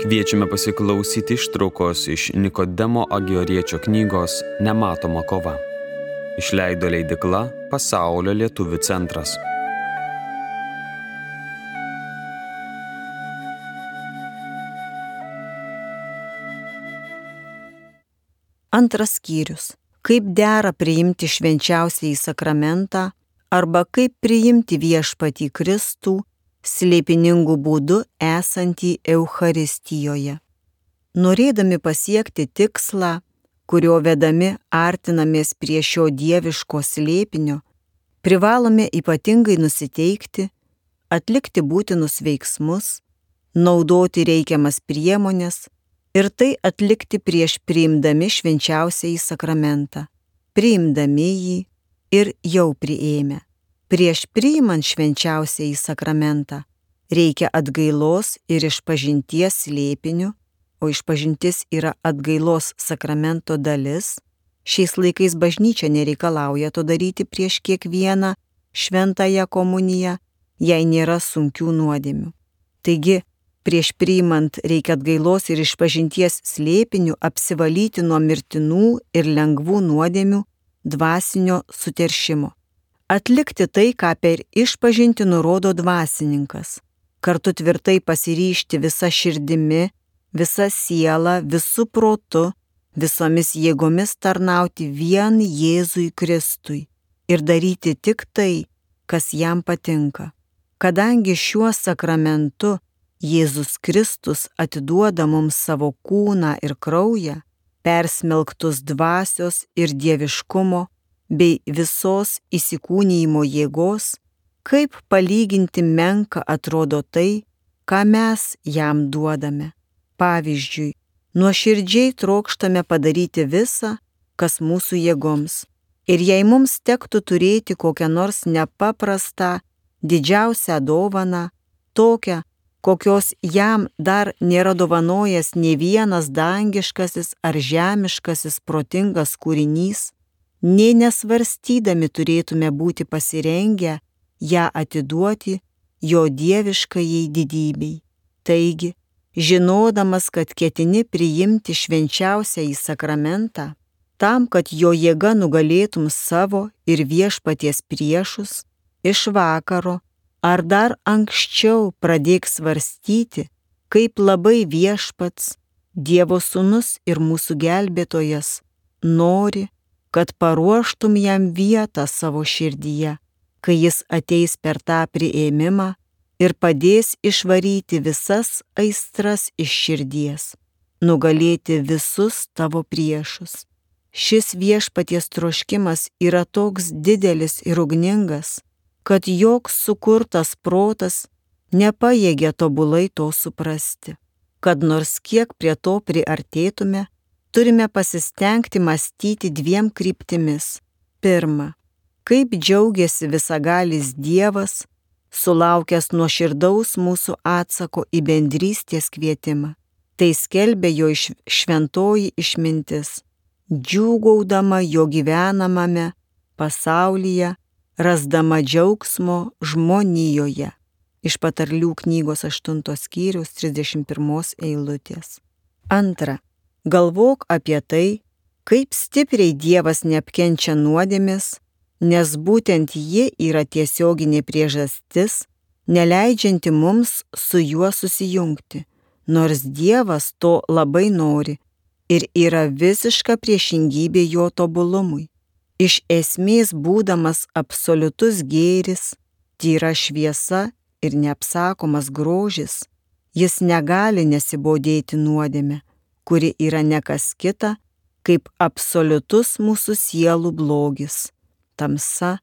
Kviečiame pasiklausyti ištraukos iš Nikodemo Agioriečio knygos Nematoma kova. Išleido leidykla Pasaulio lietuvių centras. Antras skyrius. Kaip dera priimti švenčiausiąjį sakramentą arba kaip priimti viešpatį Kristų slėpiningų būdų esantį Eucharistijoje. Norėdami pasiekti tikslą, kurio vedami artinamės prie šio dieviško slėpinio, privalome ypatingai nusiteikti, atlikti būtinus veiksmus, naudoti reikiamas priemones ir tai atlikti prieš priimdami švenčiausiąjį sakramentą, priimdami jį ir jau priėmę. Prieš priimant švenčiausiąjį sakramentą reikia atgailos ir išpažinties slėpinių, o išpažintis yra atgailos sakramento dalis. Šiais laikais bažnyčia nereikalauja to daryti prieš kiekvieną šventąją komuniją, jei nėra sunkių nuodėmių. Taigi, prieš priimant reikia atgailos ir išpažinties slėpinių apsivalyti nuo mirtinų ir lengvų nuodėmių dvasinio suteršimo. Atlikti tai, ką per išpažintį nurodo dvasininkas, kartu tvirtai pasiryžti visa širdimi, visa siela, visų protu, visomis jėgomis tarnauti vien Jėzui Kristui ir daryti tik tai, kas jam patinka. Kadangi šiuo sakramentu Jėzus Kristus atiduoda mums savo kūną ir kraują, persmelktus dvasios ir dieviškumo, bei visos įsikūnijimo jėgos, kaip palyginti menka atrodo tai, ką mes jam duodame. Pavyzdžiui, nuoširdžiai trokštame padaryti visą, kas mūsų jėgoms. Ir jei mums tektų turėti kokią nors nepaprastą, didžiausią dovaną, tokią, kokios jam dar nėra dovanojęs nė vienas dangiškasis ar žemiškasis protingas kūrinys, nė nesvarstydami turėtume būti pasirengę ją atiduoti jo dieviškajai didybei. Taigi, žinodamas, kad ketini priimti švenčiausiąjį sakramentą, tam, kad jo jėga nugalėtum savo ir viešpaties priešus, iš vakaro ar dar anksčiau pradėk svarstyti, kaip labai viešpats, Dievo sūnus ir mūsų gelbėtojas, nori, kad paruoštum jam vietą savo širdyje, kai jis ateis per tą priėmimą ir padės išvaryti visas aistras iš širdies, nugalėti visus tavo priešus. Šis viešpaties troškimas yra toks didelis ir ugningas, kad joks sukurtas protas nepajėgia tobulai to suprasti. Kad nors kiek prie to priartėtume, turime pasistengti mąstyti dviem kryptimis. Pirma, kaip džiaugiasi visagalis Dievas, sulaukęs nuoširdaus mūsų atsako į bendrystės kvietimą. Tai skelbia jo šventoji išmintis, džiūgaudama jo gyvenamame pasaulyje, rasdama džiaugsmo žmonijoje. Iš Patarlių knygos 8 skyriaus 31 eilutės. Antra, galvok apie tai, kaip stipriai Dievas neapkenčia nuodėmės, nes būtent ji yra tiesioginė priežastis, neleidžianti mums su juo susijungti, nors Dievas to labai nori ir yra visiška priešingybė jo tobulumui. Iš esmės būdamas absoliutus gėris, tyra šviesa ir neapsakomas grožis, jis negali nesibodėti nuodėme, kuri yra ne kas kita, kaip absoliutus mūsų sielų blogis, tamsa,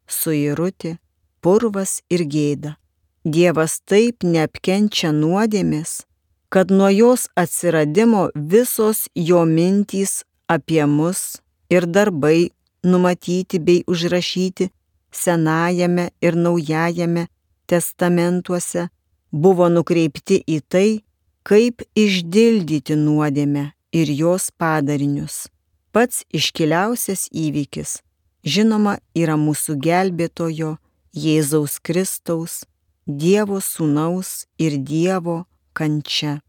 suirutė, purvas ir gėda. Dievas taip neapkenčia nuodėmės, kad nuo jos atsiradimo visos jo mintys apie mus ir darbai numatyti bei užrašyti Senajame ir Naujajame testamentuose buvo nukreipti į tai, kaip išdildyti nuodėmę ir jos padarinius. Pats iškiliausias įvykis, žinoma, yra mūsų gelbėtojo Jėzaus Kristaus, Dievo sūnaus ir Dievo kančia.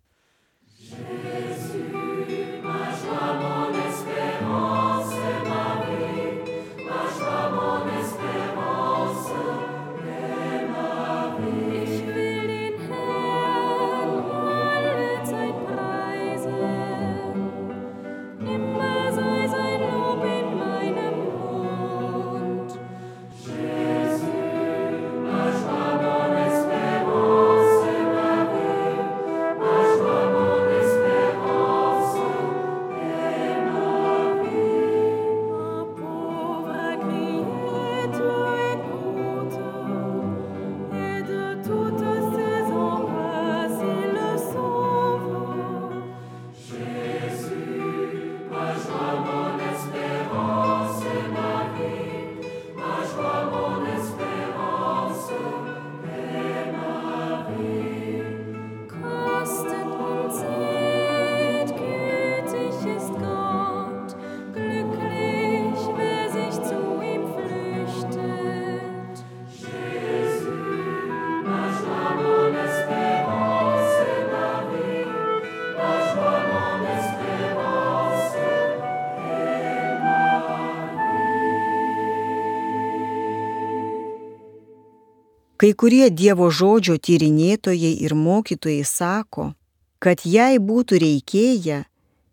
Kai kurie Dievo žodžio tyrinėtojai ir mokytojai sako, kad jei būtų reikėję,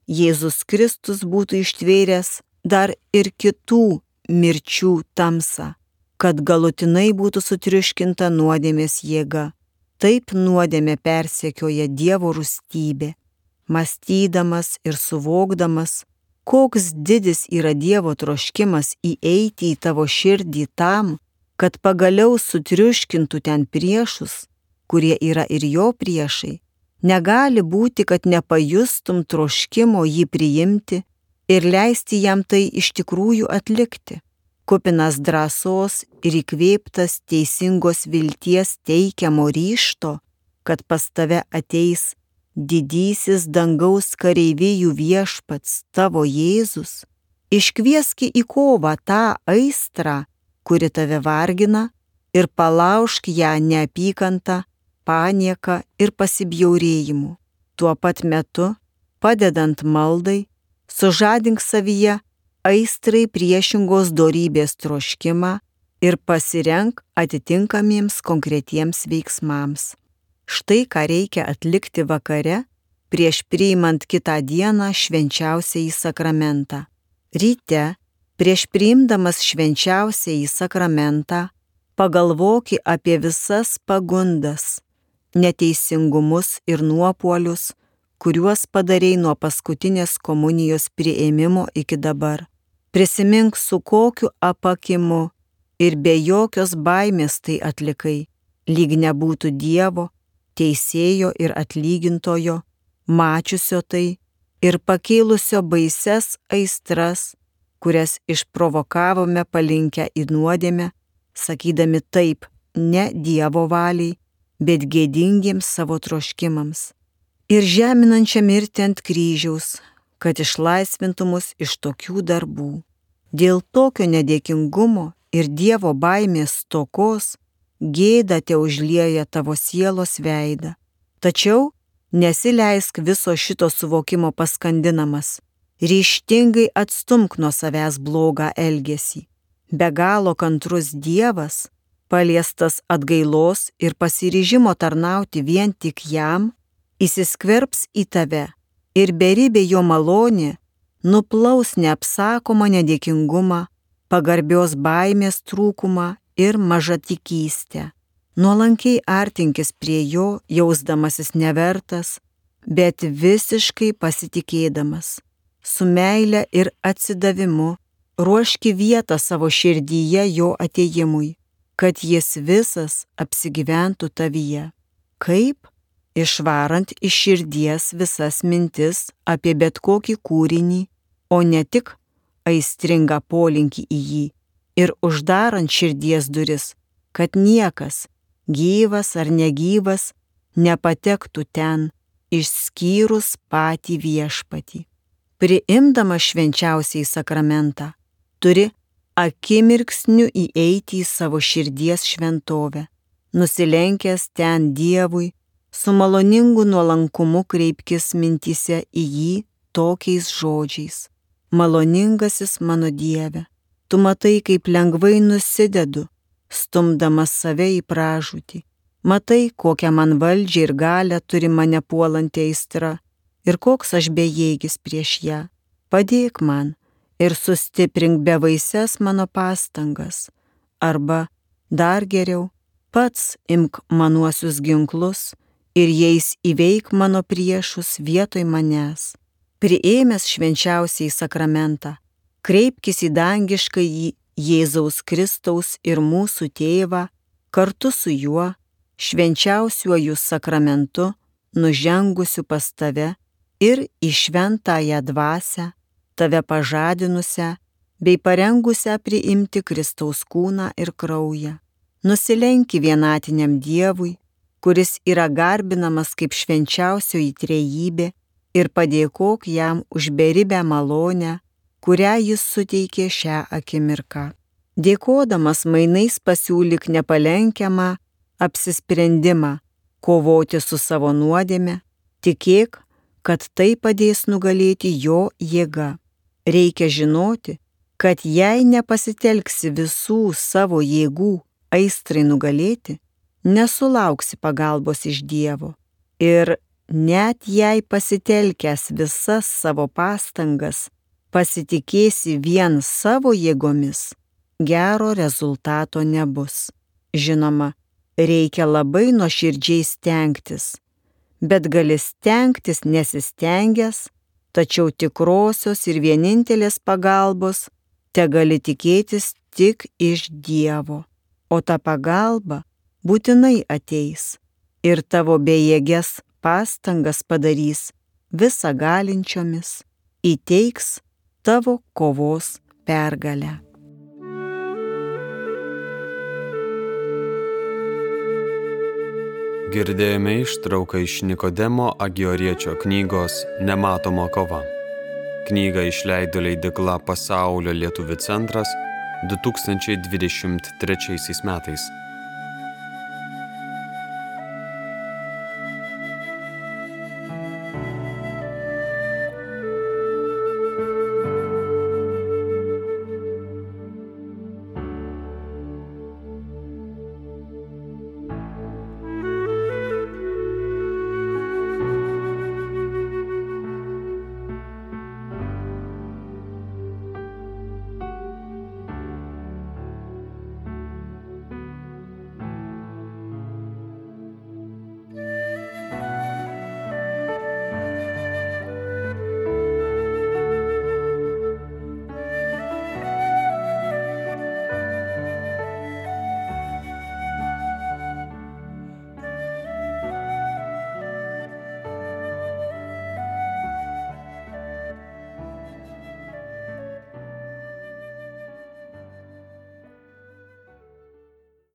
Jėzus Kristus būtų ištvėręs dar ir kitų mirčių tamsą, kad galutinai būtų sutriuškinta nuodėmės jėga. Taip nuodėmė persekioja Dievo rūstybė. Mąstydamas ir suvokdamas, koks didis yra Dievo troškimas įeiti į tavo širdį tam, kad pagaliau sutriuškintų ten priešus, kurie yra ir jo priešai, negali būti, kad nepajustum troškimo jį priimti ir leisti jam tai iš tikrųjų atlikti. Kupinas drąsos ir įkvėptas teisingos vilties teikiamo ryžto, kad pas tave ateis didysis dangaus kareivijų viešpats tavo Jėzus, iškvieski į kovą tą aistrą, kuri tave vargina, ir palaužk ją neapykantą, panieką ir pasibjaurėjimu. Tuo pat metu, padedant maldai, sužadink savyje aistrai priešingos dorybės troškimą ir pasirenk atitinkamiems konkretiems veiksmams. Štai ką reikia atlikti vakare prieš priimant kitą dieną švenčiausiąjį sakramentą. Ryte, prieš priimdamas švenčiausiąjį sakramentą, pagalvoki apie visas pagundas, neteisingumus ir nuopuolius, kuriuos padarei nuo paskutinės komunijos priėmimo iki dabar. Prisimink, su kokiu apakimu ir be jokios baimės tai atlikai, lyg nebūtų Dievo, teisėjo ir atlygintojo, mačiusio tai ir pakėlusio baises aistras, kurias išprovokavome palinkę į nuodėmę, sakydami taip ne Dievo valiai, bet gėdingiems savo troškimams. Ir žeminančią mirtį ant kryžiaus, kad išlaisvintų mus iš tokių darbų. Dėl tokio nedėkingumo ir Dievo baimės stokos gėda te užlieja tavo sielos veidą. Tačiau nesileisk viso šito suvokimo paskandinamas. Ryžtingai atstumk nuo savęs blogą elgesį. Be galo kantrus Dievas, paliestas atgailos ir pasiryžimo tarnauti vien tik jam, įsiskverbs į tave ir beribė jo malonė nuplaus neapsakomą nedėkingumą, pagarbios baimės trūkumą ir mažatikystę. Nuolankiai artinkis prie jo, jausdamasis nevertas, bet visiškai pasitikėdamas. Su meile ir atsidavimu ruoški vietą savo širdyje jo atėjimui, kad jis visas apsigyventų tavyje. Kaip? Išvarant iš širdies visas mintis apie bet kokį kūrinį, o ne tik aistringą polinkį į jį, ir uždarant širdies duris, kad niekas, gyvas ar negyvas, nepatektų ten, išskyrus patį viešpatį. Priimdama švenčiausiąjį sakramentą, turi akimirksniu įeiti į savo širdies šventovę, nusilenkęs ten Dievui, su maloningu nuolankumu kreipkis mintyse į jį tokiais žodžiais. Maloningasis mano Dieve, tu matai, kaip lengvai nusidedu, stumdamas save į pražūtį. Matai, kokią man valdžią ir galią turi mane puolanti aistra ir koks aš bejėgis prieš ją. Padėk man ir sustiprink bevaises mano pastangas. Arba, dar geriau, pats imk manuosius ginklus ir jais įveik mano priešus vietoj manęs. Priėmęs švenčiausiąjį sakramentą, kreipkis į dangiškąjį Jėzaus Kristaus ir mūsų tėvą, kartu su juo, švenčiausiuoju sakramentu, nužengusiu pas tave ir į šventąją dvasią, tave pažadinusią bei parengusią priimti Kristaus kūną ir kraują. Nusilenki vienatiniam Dievui, kuris yra garbinamas kaip švenčiausioji trejybė, ir padėkok jam už beribę malonę, kurią jis suteikė šią akimirką. Dėkodamas mainais pasiūlyk nepalenkiamą apsisprendimą kovoti su savo nuodėme, tikėk, kad tai padės nugalėti jo jėga. Reikia žinoti, kad jei nepasitelksi visų savo jėgų aistrai nugalėti, nesulauksi pagalbos iš Dievo. Ir net jei pasitelkęs visas savo pastangas, pasitikėsi vien savo jėgomis, gero rezultato nebus. Žinoma, reikia labai nuoširdžiai stengtis, bet gali stengtis nesistengęs, tačiau tikrosios ir vienintelės pagalbos tegali tikėtis tik iš Dievo, o ta pagalba būtinai ateis ir tavo bejėges pastangas padarys visagalinčiomis, įteiks tavo kovos pergalę. Girdėjome ištrauką iš Nikodemo Agioriečio knygos Nematoma kova. Knygą išleido leidykla Pasaulio lietuvių centras 2023 metais.